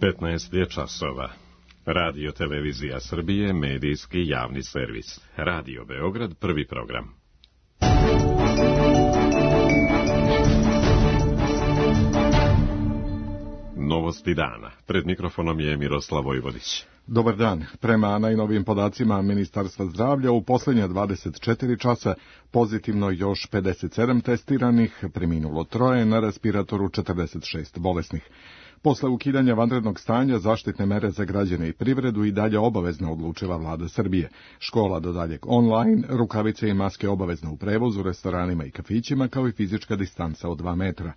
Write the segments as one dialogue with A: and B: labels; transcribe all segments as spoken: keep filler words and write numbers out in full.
A: petnaest je časova. Radio Televizija Srbije, medijski javni servis. Radio Beograd, prvi program. Novosti dana. Pred mikrofonom je Miroslav Vojvodić.
B: Dobar dan. Prema najnovijim podacima Ministarstva zdravlja, u posljednja dvadeset četiri časa pozitivno još pedeset sedam testiranih, preminulo troje, na respiratoru četrdeset šest bolesnih. Posle ukidanja vanrednog stanja, zaštitne mere za građane i privredu i dalje obavezno odlučila vlada Srbije. Škola do daljeg online, rukavice i maske obavezno u prevozu, restoranima i kafićima, kao i fizička distanca od dva metra.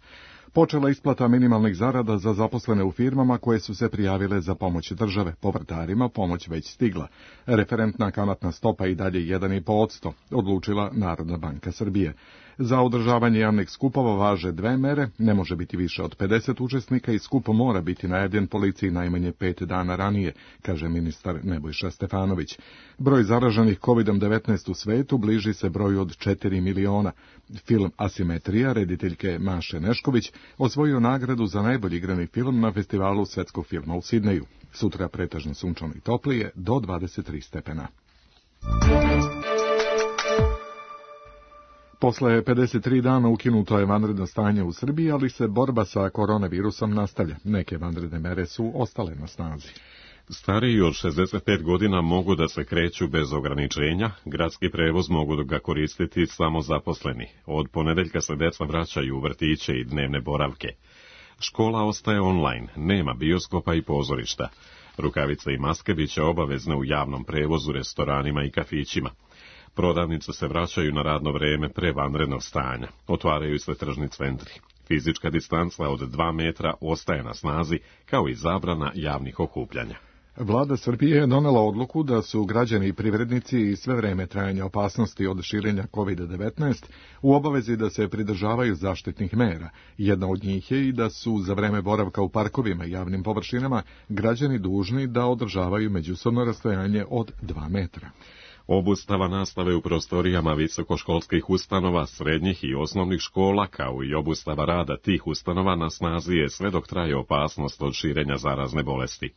B: Počela isplata minimalnih zarada za zaposlene u firmama koje su se prijavile za pomoć države. Povrtarima pomoć već stigla. Referentna kamatna stopa i dalje jedan i po posto, odlučila Narodna banka Srbije. Za održavanje javnih skupova važe dve mere, ne može biti više od pedeset učesnika i skup mora biti najavljen policiji najmanje pet dana ranije, kaže ministar Nebojša Stefanović. Broj zaraženih kovidom devetnaest u svetu bliži se broju od četiri miliona. Film Asimetrija rediteljke Maše Nešković osvojio nagradu za najbolji igrani film na festivalu svetskog filma u Sidneju. Sutra pretežno sunčano i toplije do dvadeset tri stepena. Posle pedeset tri dana ukinuto je vanredno stanje u Srbiji, ali se borba sa koronavirusom nastavlja. Neke vanredne mere su ostale na snazi.
A: Stariji od šezdeset pet godina mogu da se kreću bez ograničenja, gradski prevoz mogu ga koristiti samo zaposleni. Od ponedeljka se deca vraćaju u vrtiće i dnevne boravke. Škola ostaje online, nema bioskopa i pozorišta. Rukavice i maske biće obavezne u javnom prevozu, restoranima i kafićima. Prodavnice se vraćaju na radno vreme pre vanrednog stanja. Otvaraju se tržni centri. Fizička distanca od dva metra ostaje na snazi, kao i zabrana javnih okupljanja.
B: Vlada Srbije je donela odluku da su građani i privrednici i sve vreme trajanja opasnosti od širenja kovid devetnaest u obavezi da se pridržavaju zaštitnih mera. Jedna od njih je i da su za vreme boravka u parkovima i javnim površinama građani dužni da održavaju međusobno rastojanje od dva metra.
A: Obustava nastave u prostorijama visokoškolskih ustanova, srednjih i osnovnih škola, kao i obustava rada tih ustanova na snazi je sve dok traje opasnost od širenja zarazne bolesti.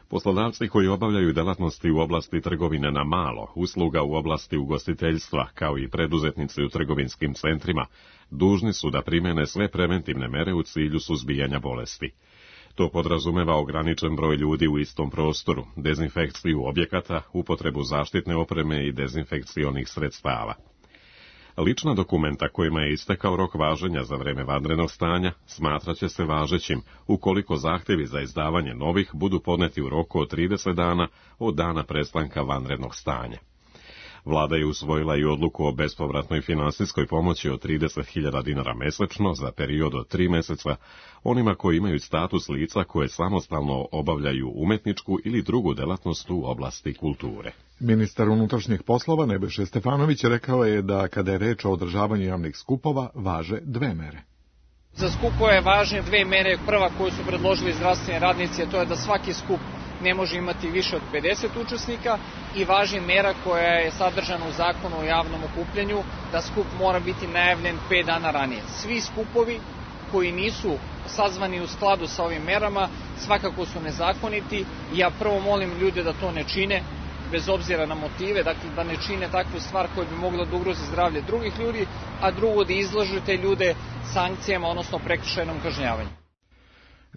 A: Poslodavci koji obavljaju delatnosti u oblasti trgovine na malo, usluga u oblasti ugostiteljstva, kao i preduzetnici u trgovinskim centrima, dužni su da primene sve preventivne mere u cilju suzbijanja bolesti. To podrazumeva ograničen broj ljudi u istom prostoru, dezinfekciju objekata, upotrebu zaštitne opreme i dezinfekcionih sredstava. Lična dokumenta kojima je istekao rok važenja za vreme vanrednog stanja smatraće se važećim ukoliko zahtjevi za izdavanje novih budu podneti u roku od trideset dana od dana prestanka vanrednog stanja. Vlada je usvojila i odluku o bespovratnoj finansijskoj pomoći od trideset hiljada dinara mesečno za period od tri meseca onima koji imaju status lica koje samostalno obavljaju umetničku ili drugu delatnost u oblasti kulture.
B: Ministar unutrašnjih poslova Nebojša Stefanović rekao je da kada je reč o održavanju javnih skupova važe dve mere.
C: Za skupove važne dve mere. Prva koju su predložili zdravstveni radnici je to je da svaki skup ne može imati više od pedeset učesnika i važi mera koja je sadržana u zakonu o javnom okupljanju da skup mora biti najavljen pet dana ranije. Svi skupovi koji nisu sazvani u skladu sa ovim merama svakako su nezakoniti i ja prvo molim ljude da to ne čine bez obzira na motive, dakle da ne čine takvu stvar koja bi mogla da ugrozi zdravlje drugih ljudi, a drugo da izlažu te ljude sankcijama, odnosno prekršajnom kažnjavanju.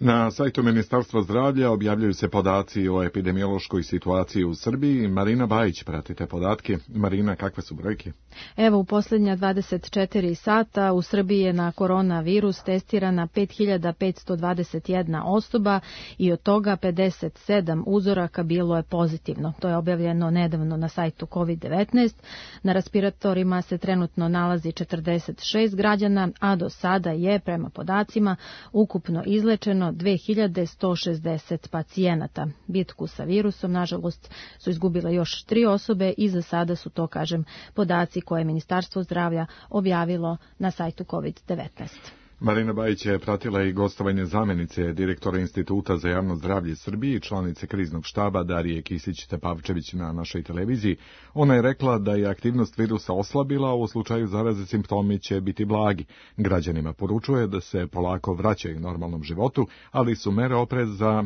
B: Na sajtu Ministarstva zdravlja objavljuju se podaci o epidemiološkoj situaciji u Srbiji. Marina Bajić prati te podatke. Marina, kakve su brojke?
D: Evo, u posljednja dvadeset četiri sata u Srbiji je na koronavirus testirana pet hiljada petsto dvadeset jedna osoba i od toga pedeset sedam uzoraka bilo je pozitivno. To je objavljeno nedavno na sajtu kovid devetnaest. Na respiratorima se trenutno nalazi četrdeset šest građana, a do sada je, prema podacima, ukupno izlečeno dve hiljade sto šezdeset pacijenata. Bitku sa virusom, nažalost, su izgubile još tri osobe i za sada su to, kažem, podaci koje je Ministarstvo zdravlja objavilo na sajtu kovid devetnaest.
B: Marina Bajić je pratila i gostovanje zamjenice direktora Instituta za javno zdravlje Srbije i članice kriznog štaba Darije Kisić-Tepavčević na našoj televiziji. Ona je rekla da je aktivnost virusa oslabila, a u slučaju zaraze simptomi će biti blagi. Građanima poručuje da se polako vraćaju normalnom životu, ali su mere opreza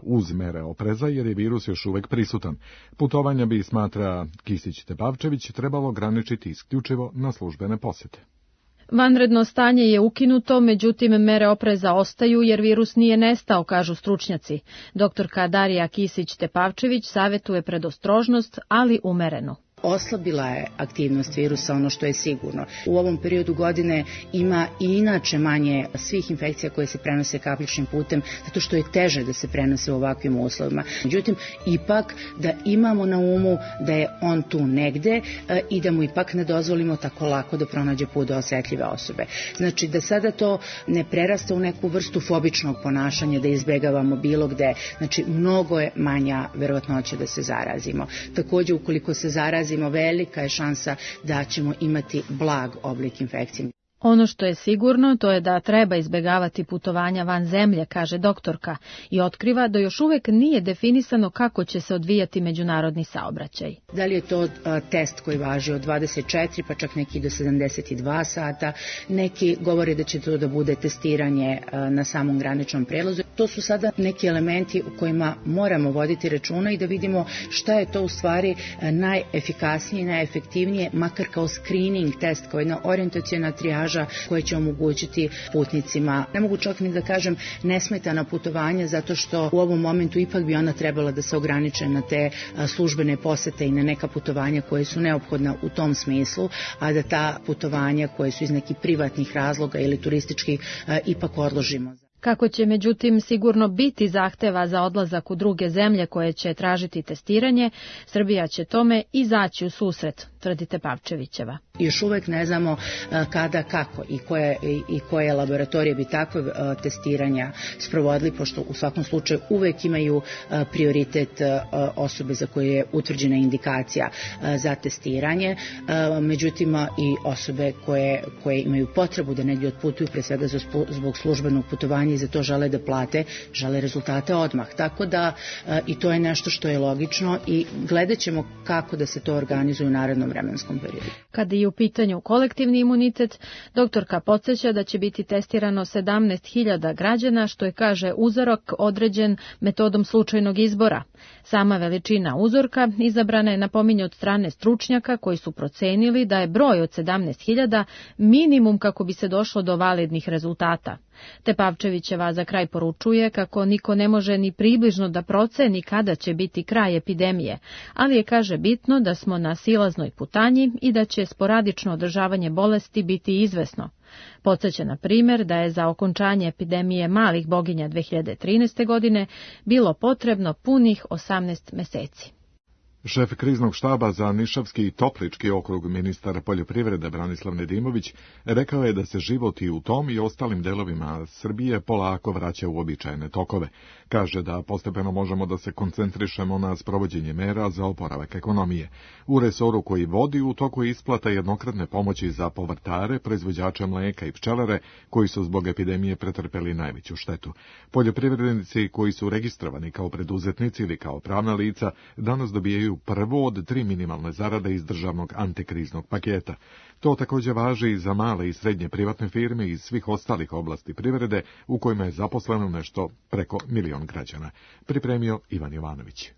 B: uz mere opreza jer je virus još uvek prisutan. Putovanja bi, smatra Kisić-Tepavčević, trebalo ograničiti isključivo na službene posete.
D: Vanredno stanje je ukinuto, međutim mere opreza ostaju jer virus nije nestao, kažu stručnjaci. Doktorka Darija Kisić-Tepavčević savjetuje predostrožnost, ali umereno.
E: Oslabila je aktivnost virusa, ono što je sigurno. U ovom periodu godine ima i inače manje svih infekcija koje se prenose kapljičnim putem, zato što je teže da se prenose u ovakvim uslovima. Međutim, ipak da imamo na umu da je on tu negde i da mu ipak ne dozvolimo tako lako da pronađe put do osetljive osobe. Znači da sada to ne prerasta u neku vrstu fobičnog ponašanja, da izbegavamo bilo gde. Znači mnogo je manja verovatnoća da se zarazimo. Takođe, ukoliko se zarazimo, velika je šansa da ćemo imati blag oblik infekcije.
D: Ono što je sigurno, to je da treba izbegavati putovanja van zemlje, kaže doktorka, i otkriva da još uvek nije definisano kako će se odvijati međunarodni saobraćaj.
E: Da li je to a, test koji važi od dvadeset četiri, pa čak neki do sedamdeset dva sata, neki govore da će to da bude testiranje a, na samom graničnom prelazu. To su sada neki elementi u kojima moramo voditi računa i da vidimo šta je to u stvari najefikasnije i najefektivnije, makar kao screening test, kao jedna orijentaciona trijaža koje će omogućiti putnicima, ne mogu čak ni da kažem nesmetana putovanja, zato što u ovom momentu ipak bi ona trebala da se ograniče na te službene posete i na neka putovanja koje su neophodna u tom smislu, a da ta putovanja koje su iz nekih privatnih razloga ili turističkih ipak odložimo.
D: Kako će međutim sigurno biti zahteva za odlazak u druge zemlje koje će tražiti testiranje, Srbija će tome izaći u susret, tvrdi Tepavčevićeva.
E: Još uvek ne znamo kada, kako i koje, i koje laboratorije bi takve testiranja sprovodili, pošto u svakom slučaju uvek imaju prioritet osobe za koje je utvrđena indikacija za testiranje, međutim i osobe koje, koje imaju potrebu da negdje otputuju, pre svega zbog službenog putovanja i za to žele da plate, žele rezultate odmah. Tako da i to je nešto što je logično i gledat ćemo kako da se to organizuje u narednom vremenskom periodu.
D: Kada je u pitanju kolektivni imunitet, doktorka podsjeća da će biti testirano sedamnaest hiljada građana, što je, kaže, uzorak određen metodom slučajnog izbora. Sama veličina uzorka izabrana je, napominje, od strane stručnjaka koji su procenili da je broj od sedamnaest hiljada minimum kako bi se došlo do validnih rezultata. Tepavčevićeva za kraj poručuje kako niko ne može ni približno da proceni kada će biti kraj epidemije, ali je, kaže, bitno da smo na silaznoj putanji i da će sporadično održavanje bolesti biti izvesno. Podsjeća na primjer da je za okončanje epidemije malih boginja dve hiljade trinaeste. godine bilo potrebno punih osamnaest meseci.
B: Šef kriznog štaba za Nišavski i Toplički okrug, ministar poljoprivrede Branislav Nedimović, rekao je da se život i u tom i ostalim delovima Srbije polako vraća u običajne tokove. Kaže da postepeno možemo da se koncentrišemo na sprovođenje mera za oporavak ekonomije. U resoru koji vodi u toku isplata jednokratne pomoći za povrtare, proizvođače mleka i pčelare koji su zbog epidemije pretrpeli najveću štetu. Poljoprivrednici koji su registrovani kao preduzetnici ili kao pravna lica danas dobijaju prvo od tri minimalne zarade iz državnog antikriznog paketa. To također važi i za male i srednje privatne firme iz svih ostalih oblasti privrede u kojima je zaposleno nešto preko milion građana. Pripremio Ivan Jovanović.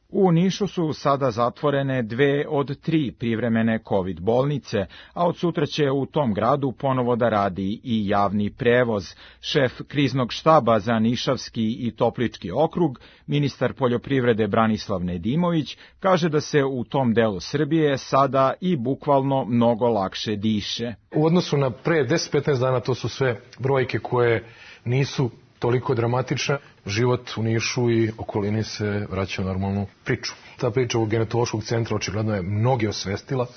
F: U Nišu su sada zatvorene dve od tri privremene COVID bolnice, a od sutra će u tom gradu ponovo da radi i javni prevoz. Šef kriznog štaba za Nišavski i Toplički okrug, ministar poljoprivrede Branislav Nedimović, kaže da se u tom delu Srbije sada i bukvalno mnogo lakše diše.
G: U odnosu na pre deset do petnaest dana to su sve brojke koje nisu toliko dramatična. Život u Nišu i okolini se vraća u normalnu priču. Ta priča u genetološkog centra očigledno je mnoge osvestila.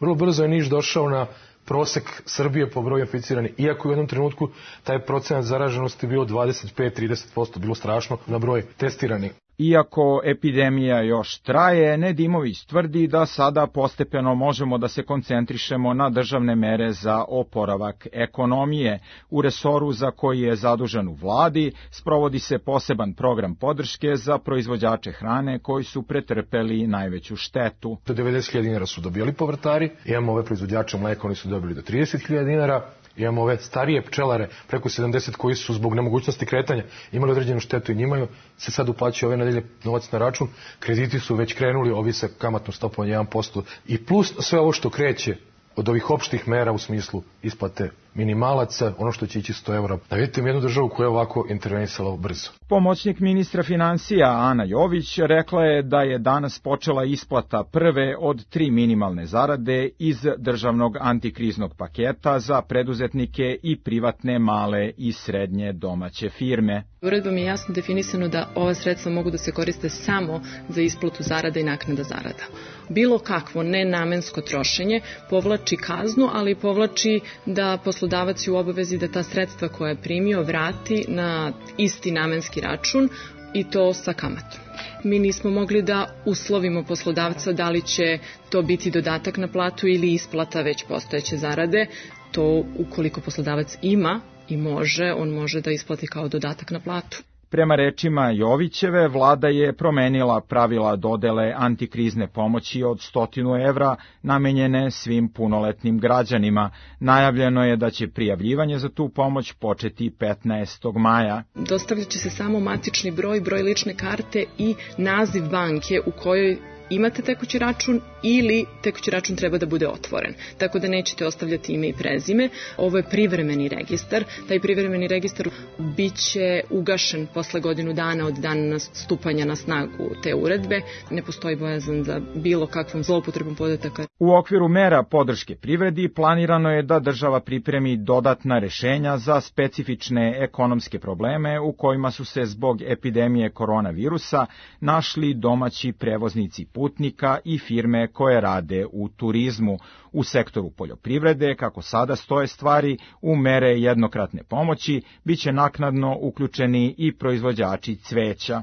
G: Vrlo brzo je Niš došao na prosek Srbije po broju inficiranih, iako u jednom trenutku taj procenat zaraženosti bio dvadeset pet do trideset posto, bilo strašno na broj testiranih.
F: Iako epidemija još traje, Nedimović tvrdi da sada postepeno možemo da se koncentrišemo na državne mere za oporavak ekonomije. U resoru za koji je zadužen u vladi sprovodi se poseban program podrške za proizvođače hrane koji su pretrpeli najveću štetu.
G: Do devedeset hiljada dinara su dobijali povrtari, imamo ove proizvođače mleka, oni su dobili do trideset hiljada dinara, imamo ove starije pčelare, preko sedamdeset, koji su zbog nemogućnosti kretanja imali određenu štetu i njima se sad uplaćuje ove nedelje novac na račun. Krediti su već krenuli, ovi sa kamatnom stopom jedan posto i plus sve ovo što kreće od ovih opštih mera u smislu isplate minimalaca, ono što će ići sto evra. Da vidite jednu državu koja je ovako intervenisala brzo.
F: Pomoćnik ministra financija Ana Jović rekla je da je danas počela isplata prve od tri minimalne zarade iz državnog antikriznog paketa za preduzetnike i privatne male i srednje domaće firme.
H: Uredbom je jasno definisano da ova sredstva mogu da se koriste samo za isplatu zarada i naknada zarada. Bilo kakvo nenamensko trošenje povlači kaznu, ali povlači da poslodavac je u obavezi da ta sredstva koja je primio vrati na isti namenski račun i to sa kamatom. Mi nismo mogli da uslovimo poslodavca da li će to biti dodatak na platu ili isplata već postojeće zarade. To ukoliko poslodavac ima i može, on može da isplati kao dodatak na platu.
F: Prema rečima Jovićeve, vlada je promenila pravila dodele antikrizne pomoći od stotinu evra namenjene svim punoletnim građanima. Najavljeno je da će prijavljivanje za tu pomoć početi petnaestog maja.
H: Dostavljat će se samo matični broj, broj lične karte i naziv banke u kojoj imate tekući račun ili tekući račun treba da bude otvoren. Tako da nećete ostavljati ime i prezime. Ovo je privremeni registar. Taj privremeni registar biće ugašen posle godinu dana od dana stupanja na snagu te uredbe. Ne postoji bojazan za bilo kakvom zloupotrebom podataka.
F: U okviru mera podrške privredi planirano je da država pripremi dodatna rešenja za specifične ekonomske probleme u kojima su se zbog epidemije koronavirusa našli domaći prevoznici putnika i firme koje rade u turizmu. U sektoru poljoprivrede, kako sada stoje stvari, u mere jednokratne pomoći biće naknadno uključeni i proizvođači cveća.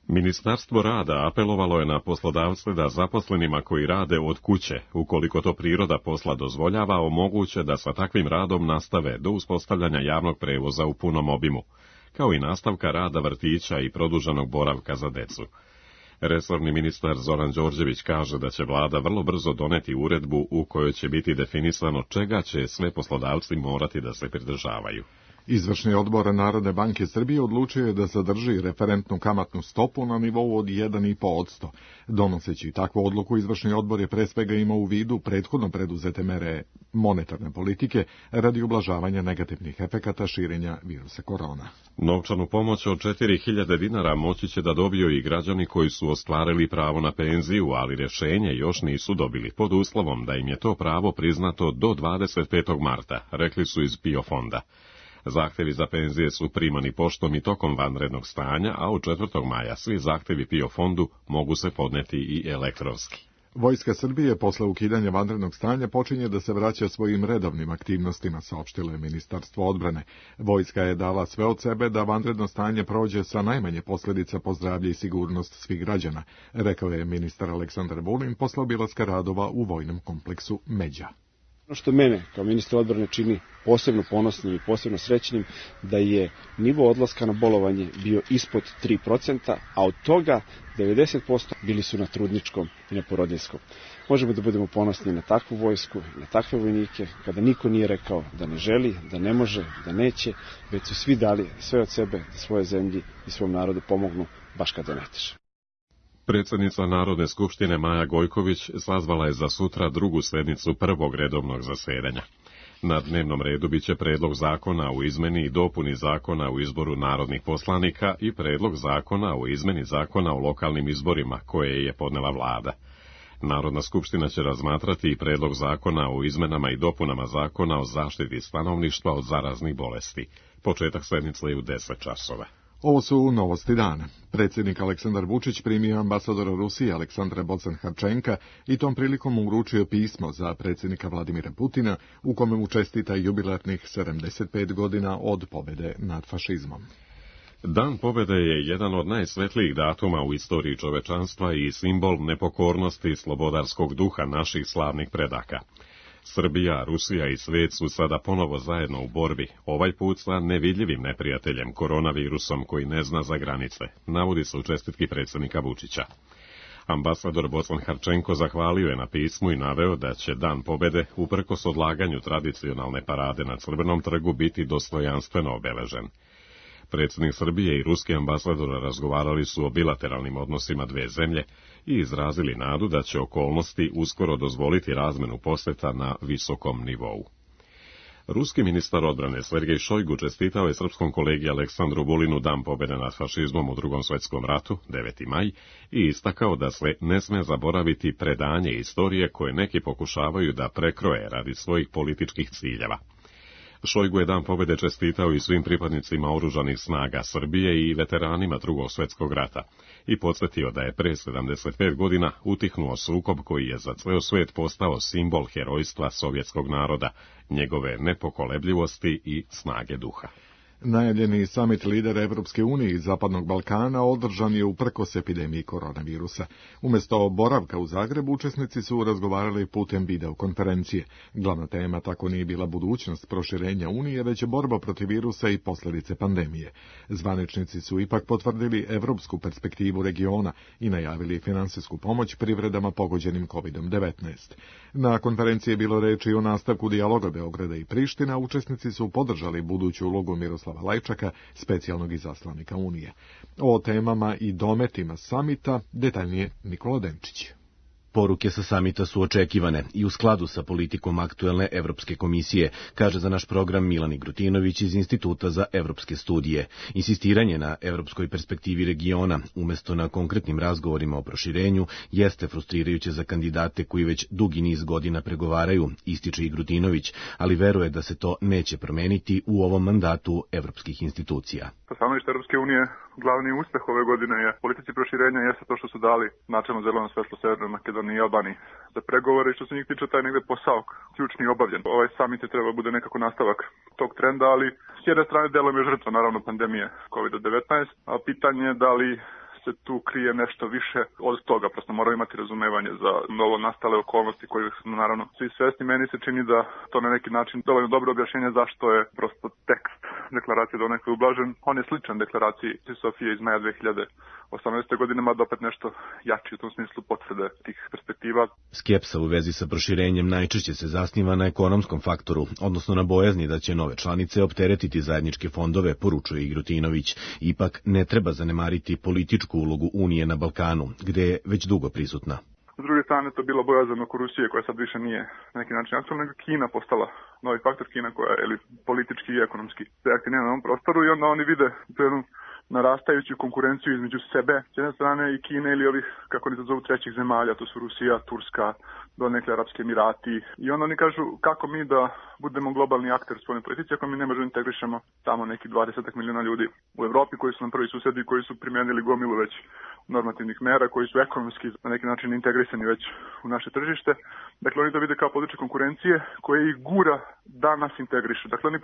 A: Ministarstvo rada apelovalo je na poslodavce da zaposlenima koji rade od kuće, ukoliko to priroda posla dozvoljava, omoguće da sa takvim radom nastave do uspostavljanja javnog prevoza u punom obimu, kao i nastavka rada vrtića i produženog boravka za decu. Resorni ministar Zoran Đorđević kaže da će vlada vrlo brzo doneti uredbu u kojoj će biti definisano čega će sve poslodavci morati da se pridržavaju.
B: Izvršni odbor Narodne banke Srbije odlučio je da zadrži referentnu kamatnu stopu na nivou od jedan i po posto. Donoseći takvu odluku, izvršni odbor je pre svega imao u vidu prethodno preduzete mere monetarne politike radi ublažavanja negativnih efekata širenja virusa korona.
A: Novčanu pomoć od četiri hiljade dinara moći će da dobiju i građani koji su ostvarili pravo na penziju, ali rješenje još nisu dobili, pod uslovom da im je to pravo priznato do dvadeset petog marta, rekli su iz PIO fonda. Zahtevi za penzije su primani poštom i tokom vanrednog stanja, a od četvrtog maja svi zahtevi PIO fondu mogu se podneti i elektronski.
B: Vojska Srbije posle ukidanja vanrednog stanja počinje da se vraća svojim redovnim aktivnostima, saopštilo je Ministarstvo odbrane. Vojska je dala sve od sebe da vanredno stanje prođe sa najmanje posljedica po zdravlje i sigurnost svih građana, rekao je ministar Aleksandar Vulin posle obilaska radova u vojnom kompleksu Međa.
I: Ono što mene kao ministra odbrane čini posebno ponosnim i posebno srećnim da je nivo odlaska na bolovanje bio ispod tri procenta, a od toga devedeset posto bili su na trudničkom i na porodiljskom. Možemo da budemo ponosni na takvu vojsku, na takve vojnike, kada niko nije rekao da ne želi, da ne može, da neće, već su svi dali sve od sebe da svoje zemlji i svom narodu pomognu baš kada ne teže.
A: Predsjednica Narodne skupštine Maja Gojković sazvala je za sutra drugu sednicu prvog redovnog zasedanja. Na dnevnom redu biće predlog zakona o izmeni i dopuni zakona o izboru narodnih poslanika i predlog zakona o izmeni zakona o lokalnim izborima koje je podnela vlada. Narodna skupština će razmatrati i predlog zakona o izmenama i dopunama zakona o zaštiti stanovništva od zaraznih bolesti. Početak sednice je u deset časova.
B: Ovo su novosti dana. Predsjednik Aleksandar Vučić primio ambasadora Rusije Aleksandra Bocan-Harčenka i tom prilikom mu uručio pismo za predsjednika Vladimira Putina u kome mu čestita jubilarnih sedamdeset pet godina od pobjede nad fašizmom.
A: Dan pobjede je jedan od najsvetlijih datuma u istoriji čovečanstva i simbol nepokornosti i slobodarskog duha naših slavnih predaka. Srbija, Rusija i svijet su sada ponovo zajedno u borbi, ovaj put sa nevidljivim neprijateljem, koronavirusom koji ne zna za granice, navodi se u čestitki predsjednika Vučića. Ambasador Bocan Harčenko zahvalio je na pismu i naveo da će Dan pobjede, uprkos odlaganju tradicionalne parade na Crvenom trgu, biti dostojanstveno obeležen. Predsjednik Srbije i ruski ambasador razgovarali su o bilateralnim odnosima dve zemlje i izrazili nadu da će okolnosti uskoro dozvoliti razmenu posjeta na visokom nivou. Ruski ministar odbrane Sergej Šojgu čestitao je srpskom kolegi Aleksandru Vulinu Dan pobjede nad fašizmom u Drugom svjetskom ratu, deveti maj, i istakao da se ne sme zaboraviti predanje istorije koje neki pokušavaju da prekroje radi svojih političkih ciljeva. Šojgu je Dan pobjede čestitao i svim pripadnicima oružanih snaga Srbije i veteranima Drugog svjetskog rata i podsjetio da je pre sedamdeset pet godina utihnuo sukob koji je za ceo svijet postao simbol herojstva sovjetskog naroda, njegove nepokolebljivosti i snage duha.
B: Najavljeni samit lidera Evropske unije i Zapadnog Balkana održan je uprkos epidemiji koronavirusa. Umjesto boravka u Zagrebu, učesnici su razgovarali putem videokonferencije. Glavna tema tako nije bila budućnost proširenja Unije, već borba protiv virusa i posljedice pandemije. Zvaničnici su ipak potvrdili evropsku perspektivu regiona i najavili finansijsku pomoć privredama pogođenim kovid devetnaest. Na konferenciji je bilo reči o nastavku dijaloga Beograda i Priština, učesnici su podržali buduću ulogu Miroslava Lajčaka, specijalnog izaslanika Unije. O temama i dometima samita detaljnije Nikola Denčić.
J: Poruke sa samita su očekivane i u skladu sa politikom aktuelne Evropske komisije, kaže za naš program Milan Igrutinović iz Instituta za evropske studije. Insistiranje na evropskoj perspektivi regiona, umjesto na konkretnim razgovorima o proširenju, jeste frustrirajuće za kandidate koji već dugi niz godina pregovaraju, ističe Igrutinović, ali veruje da se to neće promeniti u ovom mandatu evropskih institucija.
K: Stanovište Evropske unije, glavni uspeh ove godine je politici proširenja jeste to što su dali načelno zeleno svetlo Severnoj Makedoniji i Albaniji za pregovore i što se njih tiče taj negde posao ključni i obavljen. Ovaj samit je treba bude nekako nastavak tog trenda, ali s jedne strane delom je žrtva naravno pandemije kovid devetnaest, a pitanje je da li se tu krije nešto više od toga. Prosto moramo imati razumevanje za novo nastale okolnosti koje smo naravno svi svesni. Meni se čini da to na neki način dovoljno dobro objašnjenje zašto je prosto tekst deklaracije donekle ublažen. On je sličan deklaraciji Sofije iz maja dve hiljade osamnaeste. godine, mada opet nešto jači u tom smislu potvrde tih perspektiva.
J: Skepsa u vezi sa proširenjem najčešće se zasniva na ekonomskom faktoru, odnosno na bojazni da će nove članice opteretiti zajedničke fondove, poručuje Igrutinović. Ipak ne treba zanemariti političku ulogu Unije na Balkanu, gde je već dugo prisutna.
K: S druge strane, to je bilo bojazan oko Rusije, koja sad više nije na neki način aktualna, nego Kina postala novi faktor, Kina koja je ili politički i ekonomski aktivna na ovom prostoru i onda oni vide jednu narastajuću konkurenciju između sebe, s jedne strane i Kine ili ovih, kako oni to zovu, trećih zemalja, to su Rusija, Turska, donekle Arapski Emirati. I onda oni kažu kako mi da budemo globalni akter u svojoj politici ako mi ne možemo integrišemo tamo neki dvadeset miliona ljudi u Evropi koji su nam prvi susedi, koji su primijenili gomilu već normativnih mera, koji su ekonomski na neki način integrisani već u naše tržište. Dakle, oni to vide kao područje konkurencije koje ih gura da nas integriše. Dakle, oni,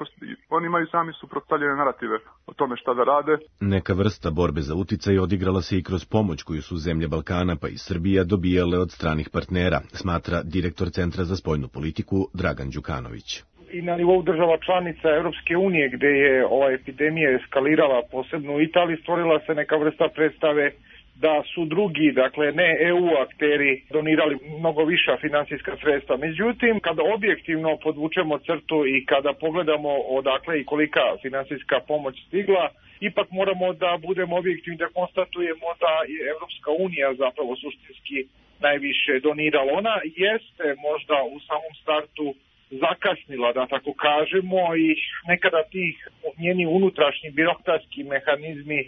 K: oni imaju sami suprotstavljene narative o tome šta da rade.
J: Neka vrsta borbe za uticaj odigrala se i kroz pomoć koju su zemlje Balkana pa i Srbija dobijale od stranih partnera, smatra direktor Centra za spoljnu politiku Dragan Đukanović.
L: I na nivou država članica Evropske unije, gde je ova epidemija eskalirala, posebno u Italiji, stvorila se neka vrsta predstave da su drugi, dakle ne E U akteri, donirali mnogo viša finansijska sredstva. Međutim, kada objektivno podvučemo crtu i kada pogledamo odakle i kolika finansijska pomoć stigla, ipak moramo da budemo objektivni, da konstatujemo da je Evropska unija zapravo suštinski najviše donirala. Ona jeste možda u samom startu zakasnila, da tako kažemo, i nekada tih njeni unutrašnji birokratski mehanizmi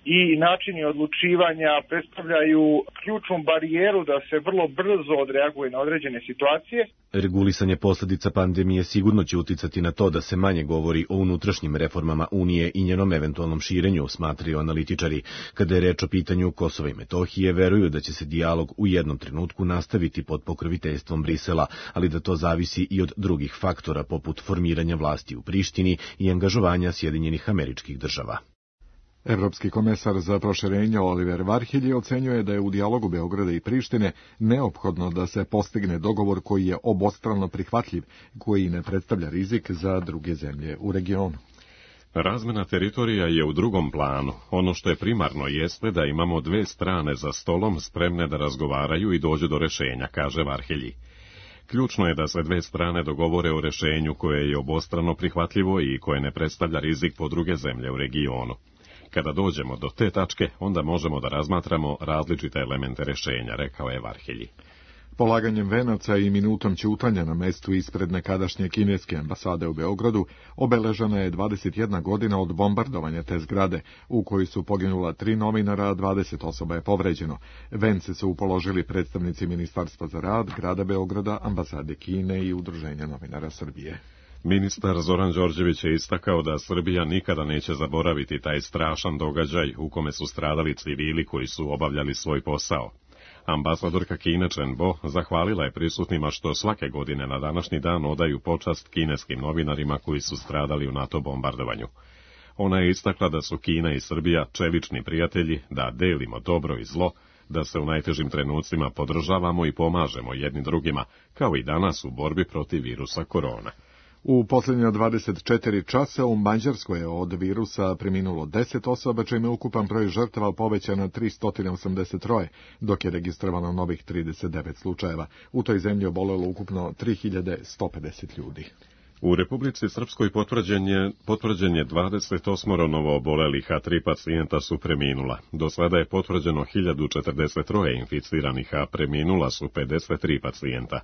L: i načini odlučivanja predstavljaju ključnu barijeru da se vrlo brzo odreaguje na određene situacije.
J: Regulisanje posljedica pandemije sigurno će uticati na to da se manje govori o unutrašnjim reformama Unije i njenom eventualnom širenju, smatraju analitičari. Kada je reč o pitanju Kosova i Metohije, veruju da će se dijalog u jednom trenutku nastaviti pod pokroviteljstvom Brisela, ali da to zavisi i od drugih faktora poput formiranja vlasti u Prištini i angažovanja Sjedinjenih Američkih Država.
B: Evropski komesar za proširenje Oliver Varhelyi ocenjuje da je u dijalogu Beograda i Prištine neophodno da se postigne dogovor koji je obostrano prihvatljiv, koji ne predstavlja rizik za druge zemlje u regionu.
A: Razmena teritorija je u drugom planu. Ono što je primarno jeste da imamo dve strane za stolom spremne da razgovaraju i dođu do rešenja, kaže Varhelyi. Ključno je da se dve strane dogovore o rešenju koje je obostrano prihvatljivo i koje ne predstavlja rizik po druge zemlje u regionu. Kada dođemo do te tačke, onda možemo da razmatramo različite elemente rešenja, rekao je Varhelyi.
B: Polaganjem venaca i minutom ćutanja na mestu ispred nekadašnje kineske ambasade u Beogradu obeležena je dvadeset jedna godina od bombardovanja te zgrade, u kojoj su poginula tri novinara, a dvadeset osoba je povređeno. Vence su upoložili predstavnici Ministarstva za rad, grada Beograda, ambasade Kine i Udruženja novinara Srbije.
A: Ministar Zoran Đorđević je istakao da Srbija nikada neće zaboraviti taj strašan događaj u kome su stradali civili koji su obavljali svoj posao. Ambasadorka Kine Chen Bo zahvalila je prisutnima što svake godine na današnji dan odaju počast kineskim novinarima koji su stradali u NATO bombardovanju. Ona je istakla da su Kina i Srbija čelični prijatelji, da delimo dobro i zlo, da se u najtežim trenucima podržavamo i pomažemo jedni drugima, kao i danas u borbi protiv virusa korona.
B: U posljednja dvadeset četiri časa u Mađarskoj je od virusa preminulo deset osoba, čime je ukupan broj žrtava povećan na tristo osamdeset tri, dok je registrovano novih trideset devet slučajeva. U toj zemlji obolelo ukupno tri hiljade sto pedeset ljudi.
A: U Republici Srpskoj potvrđen je, potvrđen je dvadeset osam novo obolelih, a tri pacijenta su preminula. Do sada je potvrđeno hiljadu četrdeset tri inficiranih, a preminula su pedeset tri pacijenta.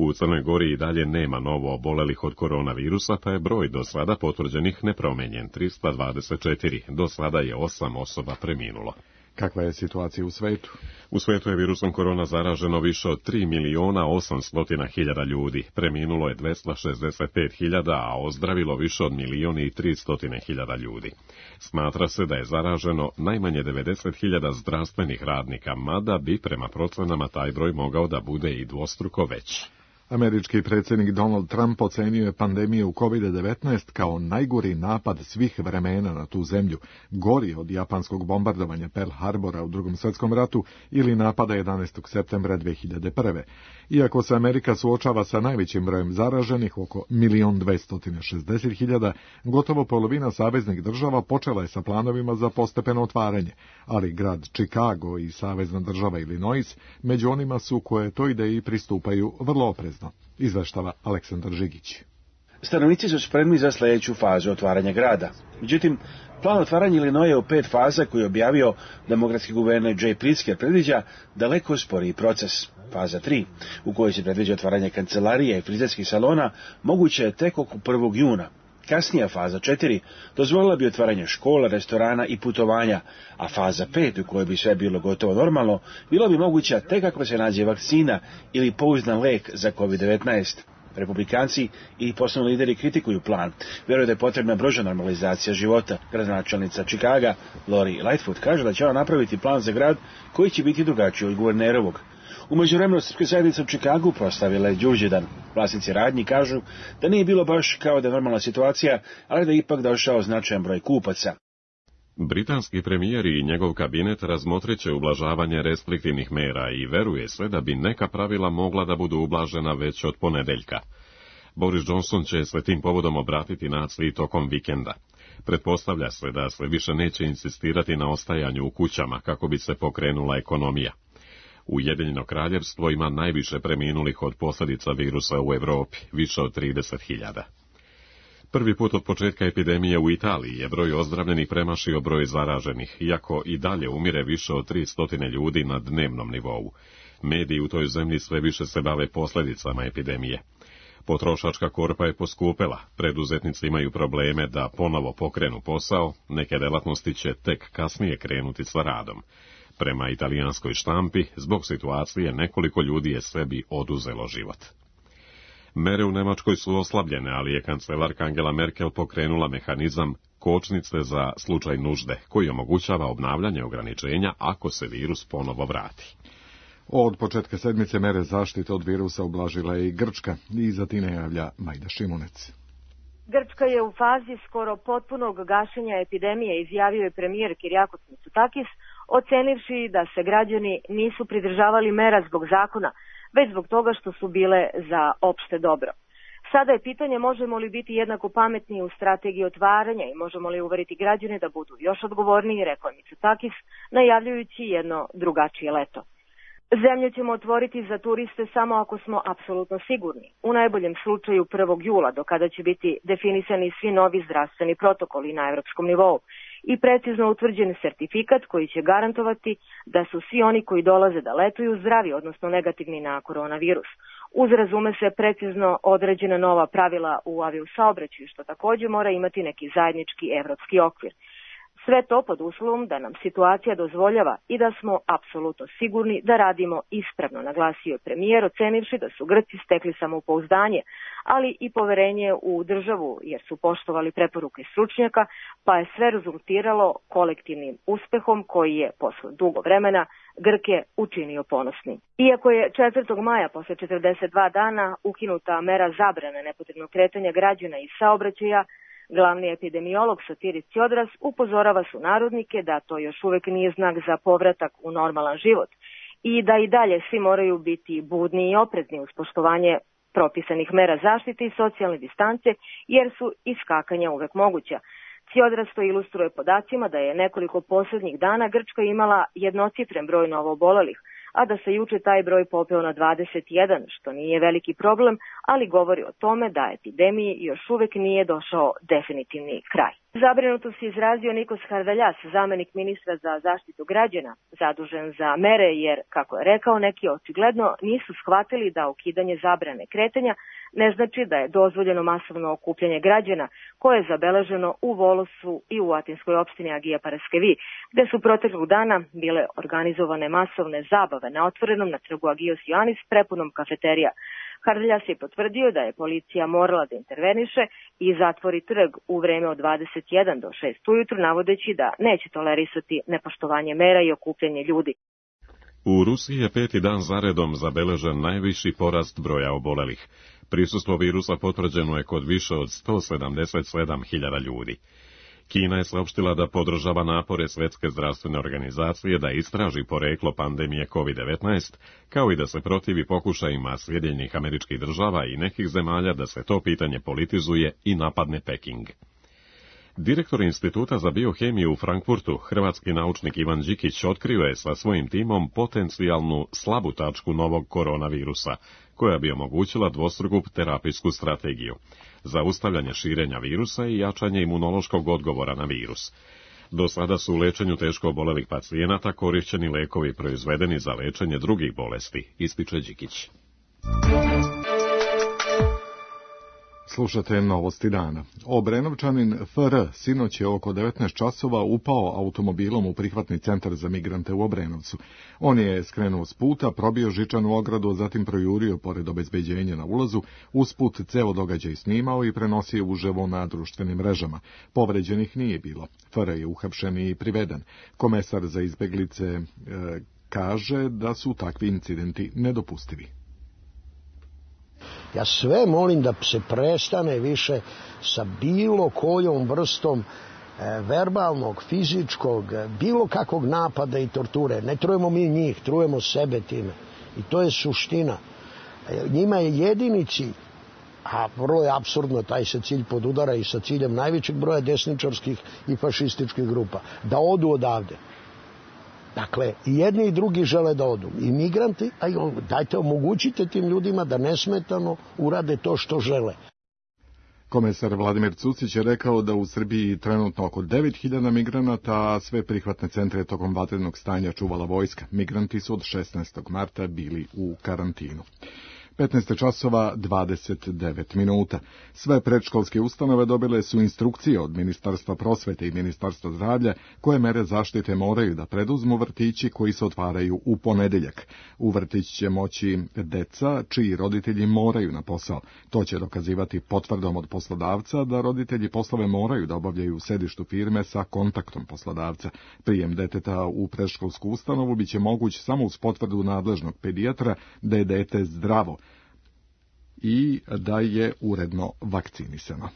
A: U Crnoj Gori i dalje nema novo obolelih od koronavirusa, pa je broj do sada potvrđenih nepromenjen, trista dvadeset četiri. Do sada je osam osoba preminulo.
B: Kakva je situacija u svetu?
A: U svetu je virusom korona zaraženo više od tri miliona osamsto hiljada ljudi. Preminulo je dvesta šezdeset pet hiljada, a ozdravilo više od milion i tristo hiljada ljudi. Smatra se da je zaraženo najmanje devedeset hiljada zdravstvenih radnika, mada bi prema procenama taj broj mogao da bude i dvostruko veći.
B: Američki predsjednik Donald Trump ocenio je pandemiju kovid devetnaest kao najgori napad svih vremena na tu zemlju, gori od japanskog bombardovanja Pearl Harbora u Drugom svjetskom ratu ili napada jedanaestog septembra dve hiljade prve. Iako se Amerika suočava sa najvećim brojem zaraženih, oko milion dvesta šezdeset hiljada, gotovo polovina saveznih država počela je sa planovima za postepeno otvaranje, ali grad Chicago i savezna država Illinois među onima su koje toj ideji pristupaju vrlo oprezno. Izveštava Aleksandar Žigić.
M: Stanovnici su spremni za sljedeću fazu otvaranja grada. Međutim, plan otvaranja Illinoisa u pet faza koji je objavio demokratski guverner Jay Pritzker predviđa daleko sporiji proces. Faza tri, u kojoj se predviđa otvaranje kancelarija i frizerskih salona, moguće je tek oko prvog juna. Kasnija faza četiri dozvolila bi otvaranje škola, restorana i putovanja, a faza pet, u kojoj bi sve bilo gotovo normalno, bila bi moguća tek ako se nađe vakcina ili pouzdan lek za kovid devetnaest. Republikanci i poslovni lideri kritikuju plan. Vjeruju da je potrebna brža normalizacija života. Gradonačelnica Chicaga, Lori Lightfoot, kaže da će ona napraviti plan za grad koji će biti drugačiji od guvernerovog. U međuvremenu srpska zajednica u Čikagu proslavila je Đurđevdan. Vlasnici radnji kažu da nije bilo baš kao da je normalna situacija, ali da je ipak došao značajan broj kupaca.
A: Britanski premijer i njegov kabinet razmotrit će ublažavanje restriktivnih mera i veruje se da bi neka pravila mogla da budu ublažena već od ponedeljka. Boris Johnson će se tim povodom obratiti naciji tokom vikenda. Pretpostavlja se da se više neće insistirati na ostajanju u kućama kako bi se pokrenula ekonomija. Ujedinjeno kraljevstvo ima najviše preminulih od posljedica virusa u Evropi, više od trideset hiljada. Prvi put od početka epidemije u Italiji je broj ozdravljenih premašio broj zaraženih, iako i dalje umire više od tristo ljudi na dnevnom nivou. Mediji u toj zemlji sve više se bave posljedicama epidemije. Potrošačka korpa je poskupela, preduzetnici imaju probleme da ponovo pokrenu posao, neke delatnosti će tek kasnije krenuti sa radom. Prema italijanskoj štampi, zbog situacije nekoliko ljudi je sebi oduzelo život. Mere u Nemačkoj su oslabljene, ali je kancelarka Angela Merkel pokrenula mehanizam kočnice za slučaj nužde, koji omogućava obnavljanje ograničenja ako se virus ponovo vrati.
B: Od početka sedmice mere zaštite od virusa ublažila je i Grčka i za time javlja Majda Šimunec.
N: Grčka je u fazi skoro potpunog gašenja epidemije, izjavio je premijer Kyriakos Mitsotakis, ocenivši da se građani nisu pridržavali mera zbog zakona, već zbog toga što su bile za opšte dobro. Sada je pitanje možemo li biti jednako pametni u strategiji otvaranja i možemo li uveriti građane da budu još odgovorniji, rekao je Mitsotakis, najavljujući jedno drugačije leto. Zemlju ćemo otvoriti za turiste samo ako smo apsolutno sigurni, u najboljem slučaju prvog jula, do kada će biti definisani svi novi zdravstveni protokoli na evropskom nivou i precizno utvrđen sertifikat koji će garantovati da su svi oni koji dolaze da letuju zdravi, odnosno negativni na koronavirus. Uz, razume se, precizno određena nova pravila u aviosaobraćaju, što takođe mora imati neki zajednički evropski okvir. Sve to pod uslovom da nam situacija dozvoljava i da smo apsolutno sigurni da radimo ispravno, naglasio je premijer, ocenivši da su Grci stekli samopouzdanje, ali i poverenje u državu jer su poštovali preporuke stručnjaka, pa je sve rezultiralo kolektivnim uspehom koji je posle dugo vremena Grke učinio ponosni. Iako je četvrtog maja posle četrdeset dva dana ukinuta mera zabrane nepotrebnog kretanja građana i saobraćaja, glavni epidemiolog Sotiris Tsiodras upozorava sunarodnike da to još uvek nije znak za povratak u normalan život i da i dalje svi moraju biti budni i oprezni uz poštovanje propisanih mera zaštite i socijalne distance, jer su iskakanja uvek moguća. Tsiodras to ilustruje podacima da je nekoliko poslednjih dana Grčka imala jednocifren broj novoobolelih, a da se juče taj broj popeo na dvadeset jedan, što nije veliki problem, ali govori o tome da epidemiji još uvek nije došao definitivni kraj. Zabrinuto se izrazio Nikos Harveljas, zamenik ministra za zaštitu građana, zadužen za mere, jer, kako je rekao, neki očigledno nisu shvatili da ukidanje zabrane kretanja ne znači da je dozvoljeno masovno okupljanje građana, koje je zabeleženo u Volosu i u atinskoj opštini Agija Paraskevi, gde su proteklog dana bile organizovane masovne zabave na otvorenom na trgu Agios Ioannis prepunom kafeterija. Harveljas je potvrdio da je policija morala da interveniše i zatvori trg u vreme od dvadeset jedan do šest ujutru, navodeći da neće tolerisati nepoštovanje mera i okupljanje ljudi.
A: U Rusiji je peti dan zaredom zabeležen najviši porast broja obolelih. Prisustvo virusa potvrđeno je kod više od sto sedamdeset sedam hiljada ljudi. Kina je saopštila da podržava napore Svetske zdravstvene organizacije da istraži poreklo pandemije kovid devetnaest, kao i da se protivi pokušajima Sjedinjenih Američkih Država i nekih zemalja da se to pitanje politizuje i napadne Peking. Direktor Instituta za biohemiju u Frankfurtu, hrvatski naučnik Ivan Đikić, otkrio je sa svojim timom potencijalnu slabu tačku novog koronavirusa, koja bi omogućila dvostruku terapijsku strategiju, zaustavljanje širenja virusa i jačanje imunološkog odgovora na virus. Do sada su u lečenju teško obolelih pacijenata korišćeni lekovi proizvedeni za lečenje drugih bolesti, ističe Đikić.
B: Slušate novosti dana. Obrenovčanin F R sinoć je oko devetnaest časova upao automobilom u prihvatni centar za migrante u Obrenovcu. On je skrenuo s puta, probio žičanu ogradu, zatim projurio pored obezbeđenja na ulazu, usput ceo događaj snimao i prenosio uživo na društvenim mrežama. Povređenih nije bilo. F R je uhapšen i priveden. Komesar za izbeglice e, kaže da su takvi incidenti nedopustivi.
O: Ja sve molim da se prestane više sa bilo kojom vrstom e, verbalnog, fizičkog, bilo kakvog napada i torture. Ne trujemo mi njih, trujemo sebe time. I to je suština. E, njima je jedini cilj, a vrlo je apsurdno, taj se cilj podudara i sa ciljem najvećeg broja desničarskih i fašističkih grupa, da odu odavde. Dakle, i jedni i drugi žele da odu. I migranti, a i on, dajte omogućite tim ljudima da nesmetano urade to što žele.
B: Komesar Vladimir Cucić je rekao da u Srbiji trenutno oko devet hiljada migranata, a sve prihvatne centre tokom vatrenog stanja čuvala vojska. Migranti su od šesnaestog marta bili u karantinu. petnaest časova dvadeset devet minuta. Sve predškolske ustanove dobile su instrukcije od Ministarstva prosvete i Ministarstva zdravlja koje mere zaštite moraju da preduzmu vrtići koji se otvaraju u ponedeljak. U vrtić će moći deca čiji roditelji moraju na posao. To će dokazivati potvrdom od poslodavca da roditelji poslove moraju da obavljaju u sedištu firme sa kontaktom poslodavca. Prijem deteta u predškolsku ustanovu biće moguć samo uz potvrdu nadležnog pedijatra da je dete zdravo i da je uredno vakcinisano.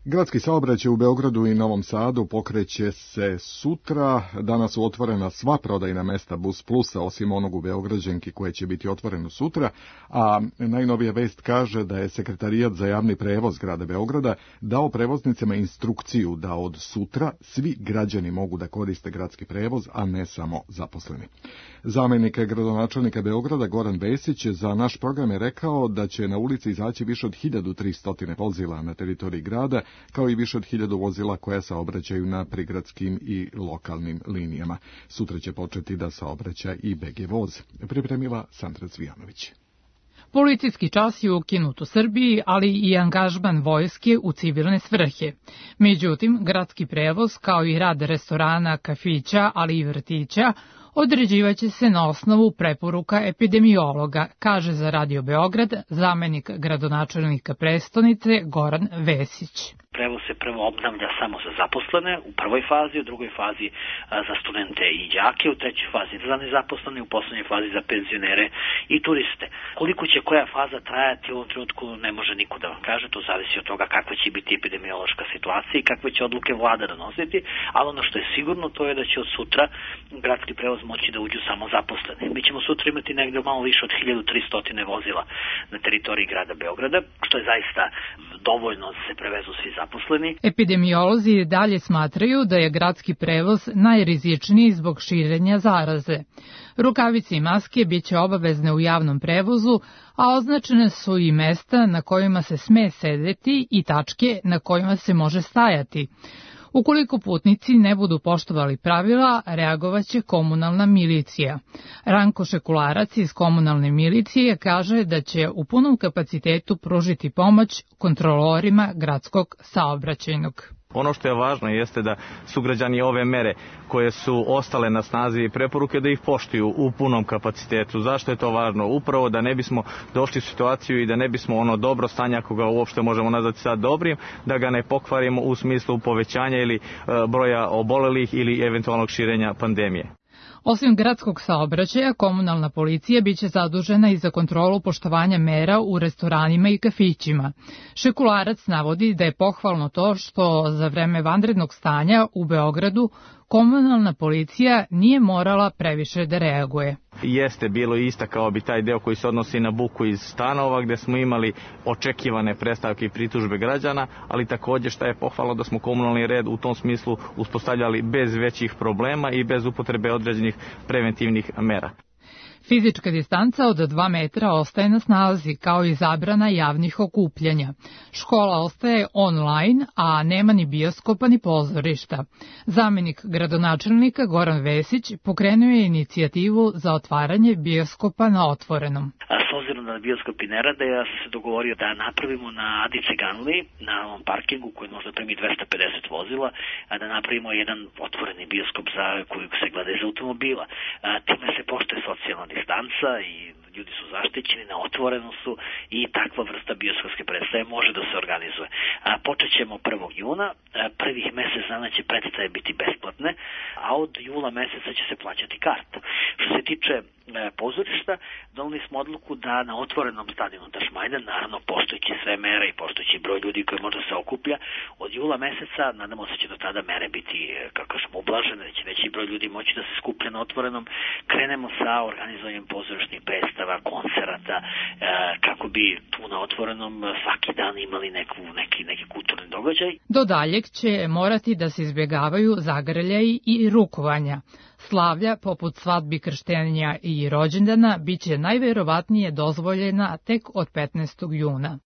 B: Gradski saobraćaj u Beogradu i Novom Sadu pokreće se sutra. Danas su otvorena sva prodajna mesta Bus Plusa, osim onog u Beograđanki koje će biti otvoreno sutra, a najnovija vest kaže da je Sekretarijat za javni prevoz grada Beograda dao prevoznicima instrukciju da od sutra svi građani mogu da koriste gradski prevoz, a ne samo zaposleni. Zamenik gradonačelnika Beograda Goran Vesić za naš program je rekao da će na ulici izaći više od hiljadu tristo vozila na teritoriji grada, kao i više od hiljadu vozila koja saobraćaju na prigradskim i lokalnim linijama. Sutra će početi da saobraća i B G voz, pripremila Sandra Cvijanović.
P: Policijski čas je ukinut u Srbiji, ali i angažman vojske u civilne svrhe. Međutim, gradski prevoz, kao i rad restorana, kafića, ali i vrtića, određivaće se na osnovu preporuka epidemiologa, kaže za Radio Beograd zamenik gradonačelnika prestonice Goran Vesić.
Q: Prevoz se prvo obnavlja samo za zaposlene u prvoj fazi, u drugoj fazi za studente i đake, u trećoj fazi za nezaposlene, u poslednjoj fazi za penzionere i turiste. Koliko će koja faza trajati u ovom trenutku ne može niko da vam kaže, to zavisi od toga kakva će biti epidemiološka situacija i kakve će odluke vlada donositi, ali ono što je sigurno to je da će od sutra gradski prevoz moći da uđu samo zaposleni. Mi ćemo sutra imati negde malo više od hiljadu tristo vozila na teritoriji grada Beograda, što je zaista dovoljno da se prevezu svi zaposleni.
P: Epidemiolozi dalje smatraju da je gradski prevoz najrizičniji zbog širenja zaraze. Rukavice i maske biće obavezne u javnom prevozu, a označene su i mesta na kojima se sme sedeti i tačke na kojima se može stajati. Ukoliko putnici ne budu poštovali pravila, reagovaće komunalna milicija. Ranko Šekularac iz komunalne milicije kaže da će u punom kapacitetu pružiti pomoć kontrolorima gradskog saobraćajnog.
R: Ono što je važno jeste da sugrađani ove mere koje su ostale na snazi i preporuke da ih poštuju u punom kapacitetu. Zašto je to važno? Upravo da ne bismo došli u situaciju i da ne bismo ono dobro stanje, ako ga uopšte možemo nazvati sad dobrim, da ga ne pokvarimo u smislu povećanja ili e, broja obolelih ili eventualnog širenja pandemije.
P: Osim gradskog saobraćaja, komunalna policija biće zadužena i za kontrolu poštovanja mera u restoranima i kafićima. Šekularac navodi da je pohvalno to što za vreme vanrednog stanja u Beogradu komunalna policija nije morala previše da reaguje.
R: Jeste bilo istakao bi taj deo koji se odnosi na buku iz stanova gde smo imali očekivane predstavke i pritužbe građana, ali takođe što je pohvalno da smo komunalni red u tom smislu uspostavljali bez većih problema i bez upotrebe određenih preventivnih mera.
P: Fizička distanca od dva metra ostaje na snazi, kao i zabrana javnih okupljanja. Škola ostaje online, a nema ni bioskopa ni pozorišta. Zamenik gradonačelnika Goran Vesić pokrenuo je inicijativu za otvaranje bioskopa na otvorenom.
Q: S obzirom na bioskop i ne rade, ja sam se dogovorio da napravimo na Adi Ciganli, na ovom parkingu koji možda primi dvesta pedeset vozila, da napravimo jedan otvoreni bioskop za koji se gleda iz automobila. Time se poštuje socijalna distanca i ljudi su zaštićeni, na otvorenu su i takva vrsta bioskopske predstave može da se organizuje. Počet ćemo prvog juna, prvih mesec dana će predstave biti besplatne, a od jula meseca će se plaćati karta. Što se tiče pozorišta, doneli smo odluku da na otvorenom stadionu Tašmajdan, naravno poštujući sve mere i poštujući broj ljudi koji može se okuplja, od jula meseca, nadamo se će do tada mere biti, kako smo ublažene, da će veći broj ljudi moći da se skuplja na otvorenom, krenemo sa organizovanjem pozorišnih predstava, koncerata, kako bi tu na otvorenom svaki dan imali neku, neki, neki kulturni događaj.
P: Do daljeg će morati da se izbjegavaju zagrljaji i rukovanja. Slavlja, poput svadbi, krštenja i rođendana, biće najverovatnije dozvoljena tek od petnaestog juna.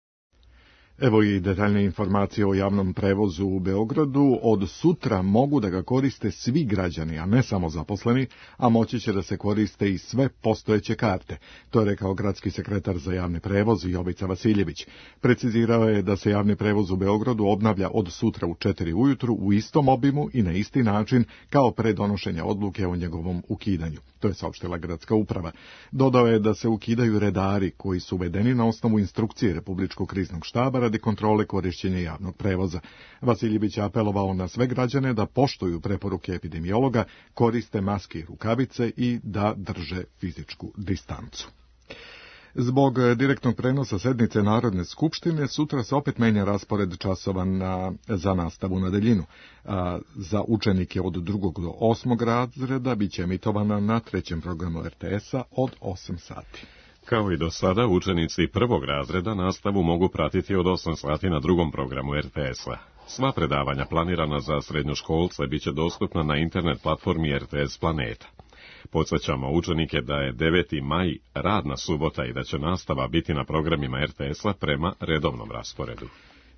B: Evo i detaljne informacije o javnom prevozu u Beogradu. Od sutra mogu da ga koriste svi građani, a ne samo zaposleni, a moći će da se koriste i sve postojeće karte. To je rekao gradski sekretar za javni prevoz Jovica Vasiljević. Precizirao je da se javni prevoz u Beogradu obnavlja od sutra u četiri ujutru u istom obimu i na isti način kao pre donošenja odluke o njegovom ukidanju. To je saopštila gradska uprava. Dodao je da se ukidaju redari koji su uvedeni na osnovu instrukcije Republičkog kriznog štaba radi kontrole korišćenja javnog prevoza. Vasiljević je apelovao na sve građane da poštuju preporuke epidemiologa, koriste maske i rukavice i da drže fizičku distancu. Zbog direktnog prenosa sednice Narodne skupštine sutra se opet menja raspored časova na, za nastavu na daljinu. A, za učenike od drugog do osmog razreda biće emitovana na trećem programu er te es-a od osam sati.
A: Kao i do sada, učenici prvog razreda nastavu mogu pratiti od osam sati na drugom programu er te es-a. Sva predavanja planirana za srednjoškolce biće dostupna na internet platformi er te es Planeta. Podsjećamo učenike da je deveti maj radna subota i da će nastava biti na programima er te es-a prema redovnom rasporedu.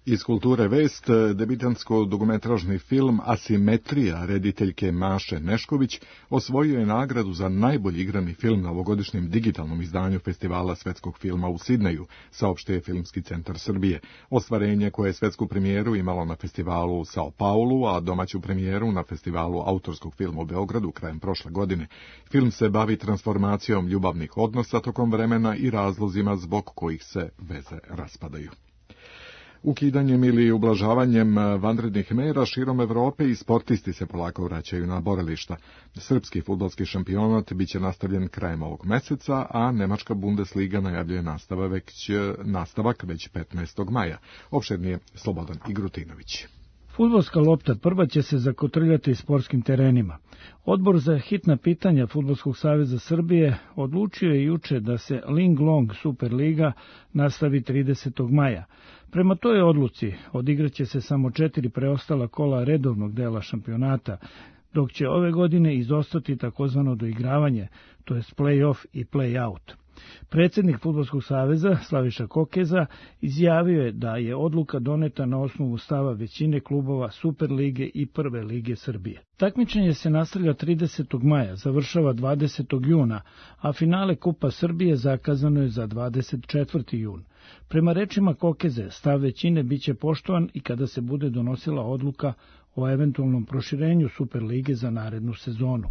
B: Iz kulture vest, debitantsko-dugometražni film Asimetrija rediteljke Maše Nešković osvojio je nagradu za najbolji igrani film na ovogodišnjem digitalnom izdanju Festivala svetskog filma u Sidneju, saopštio je Filmski centar Srbije. Ostvarenje koje je svetsku premijeru imalo na festivalu u Sao Paulu, a domaću premijeru na festivalu autorskog filma u Beogradu krajem prošle godine. Film se bavi transformacijom ljubavnih odnosa tokom vremena i razlozima zbog kojih se veze raspadaju. Ukidanjem ili ublažavanjem vanrednih mera širom Evrope i sportisti se polako vraćaju na borilišta. Srpski fudbalski šampionat biće nastavljen krajem ovog meseca, a Nemačka Bundesliga najavljuje nastavak već, nastavak već petnaestog maja. Opširnije Slobodan Igrutinović.
S: Fudbalska lopta prva će se zakotrljati sportskim terenima. Odbor za hitna pitanja Fudbalskog saveza Srbije odlučio je juče da se Ling Long Superliga nastavi tridesetog maja. Prema toj odluci odigraće se samo četiri preostala kola redovnog dela šampionata, dok će ove godine izostati takozvano doigravanje, to je play-off i play-out. Predsjednik Fudbalskog saveza Slaviša Kokeza izjavio je da je odluka doneta na osnovu stava većine klubova Superlige i Prve lige Srbije. Takmičenje se nastavlja tridesetog maja, završava dvadesetog juna, a finale Kupa Srbije zakazano je za dvadeset četvrti jun. Prema rečima Kokeze, stav većine biće poštovan i kada se bude donosila odluka o eventualnom proširenju Superlige za narednu sezonu.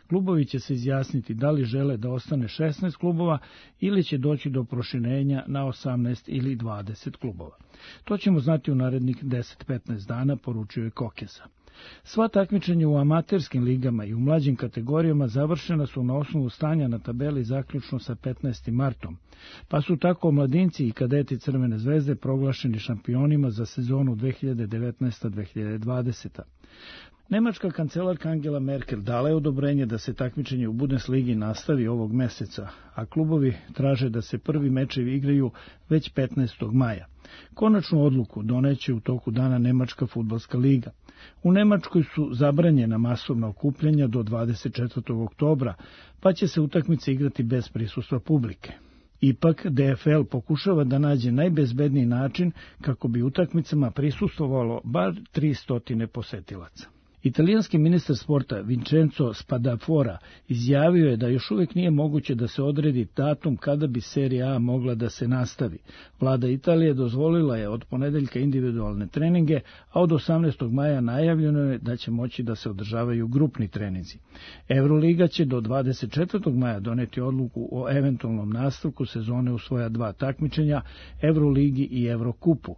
S: Klubovi će se izjasniti da li žele da ostane šesnaest klubova ili će doći do proširenja na osamnaest ili dvadeset klubova. To ćemo znati u narednih deset do petnaest dana, poručio je Kokeza. Sva takmičenja u amaterskim ligama i u mlađim kategorijama završena su na osnovu stanja na tabeli zaključno sa petnaestim martom, pa su tako mladinci i kadeti Crvene zvezde proglašeni šampionima za sezonu dve hiljade devetnaesta dve hiljade dvadeseta. Nemačka kancelarka Angela Merkel dala je odobrenje da se takmičenje u Bundesligi nastavi ovog meseca, a klubovi traže da se prvi mečevi igraju već petnaestog maja. Konačnu odluku doneće u toku dana Nemačka fudbalska liga. U Nemačkoj su zabranjena masovna okupljanja do dvadeset četvrtog oktobra, pa će se utakmice igrati bez prisustva publike. Ipak, de ef el pokušava da nađe najbezbedniji način kako bi utakmicama prisustvovalo bar tristo posetilaca. Italijanski ministar sporta Vincenzo Spadafora izjavio je da još uvijek nije moguće da se odredi datum kada bi Serija A mogla da se nastavi. Vlada Italije dozvolila je od ponedeljka individualne treninge, a od osamnaestog maja najavljeno je da će moći da se održavaju grupni treninzi. Euroliga će do dvadeset četvrtog maja doneti odluku o eventualnom nastavku sezone u svoja dva takmičenja, Euroligi i Evrokupu.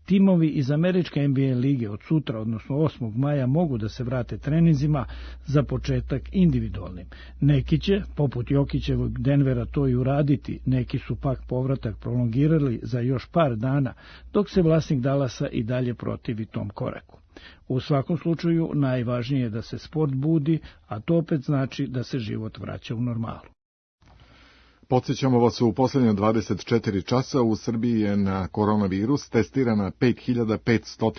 S: Timovi iz američke en be a lige od sutra, odnosno osmog maja, mogu da se vrate treninzima, za početak individualnim. Neki će, poput Jokićevog Denvera, to i uraditi, neki su pak povratak prolongirali za još par dana, dok se vlasnik Dallasa i dalje protivi tom koraku. U svakom slučaju najvažnije je da se sport budi, a to opet znači da se život vraća u normalu.
B: Podsjećamo vas, u posljednje dvadeset četiri časa u Srbiji je na koronavirus testirana pet hiljada petsto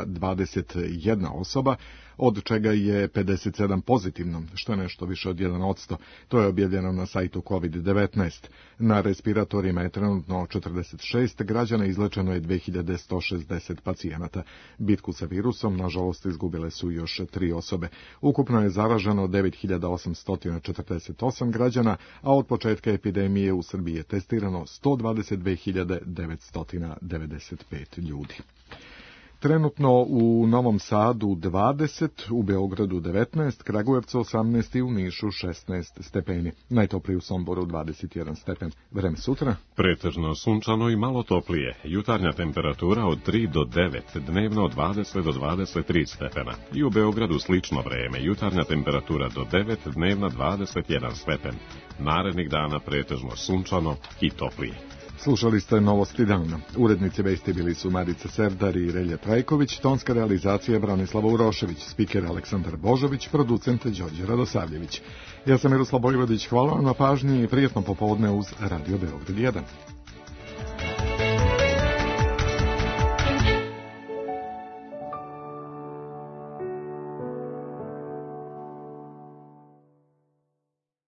B: dvadeset jedna osoba, od čega je pedeset sedam pozitivno, što je nešto više od jedan posto. To je objavljeno na sajtu kovid devetnaest. Na respiratorima je trenutno četrdeset šest građana, izlečeno je dve hiljade sto šezdeset pacijenata. Bitku sa virusom, nažalost, izgubile su još tri osobe. Ukupno je zaraženo devet hiljada osamsto četrdeset osam građana, a od početka epidemije u Srbiji je testirano sto dvadeset dve hiljade devetsto devedeset pet ljudi. Trenutno u Novom Sadu dvadeset, u Beogradu devetnaest, Kragujevcu osamnaest i u Nišu šesnaest stepeni. Najtoplije u Somboru dvadeset jedan stepen. Vreme sutra?
A: Pretežno sunčano i malo toplije. Jutarnja temperatura od tri do devet, dnevno od dvadeset do dvadeset tri stepena. I u Beogradu slično vreme. Jutarnja temperatura do devet, dnevna dvadeset jedan stepen. Narednih dana pretežno sunčano i toplije.
B: Slušali ste Novosti dana. Urednici vesti bili su Marica Serdar i Relje Trajković, tonska realizacija Branislava Urošević, spiker Aleksandar Božović, producent Đorđe Radosavljević. Ja sam Miroslav Bojvodić, hvala vam na pažnji i prijetno popodne uz Radio Beograd jedan.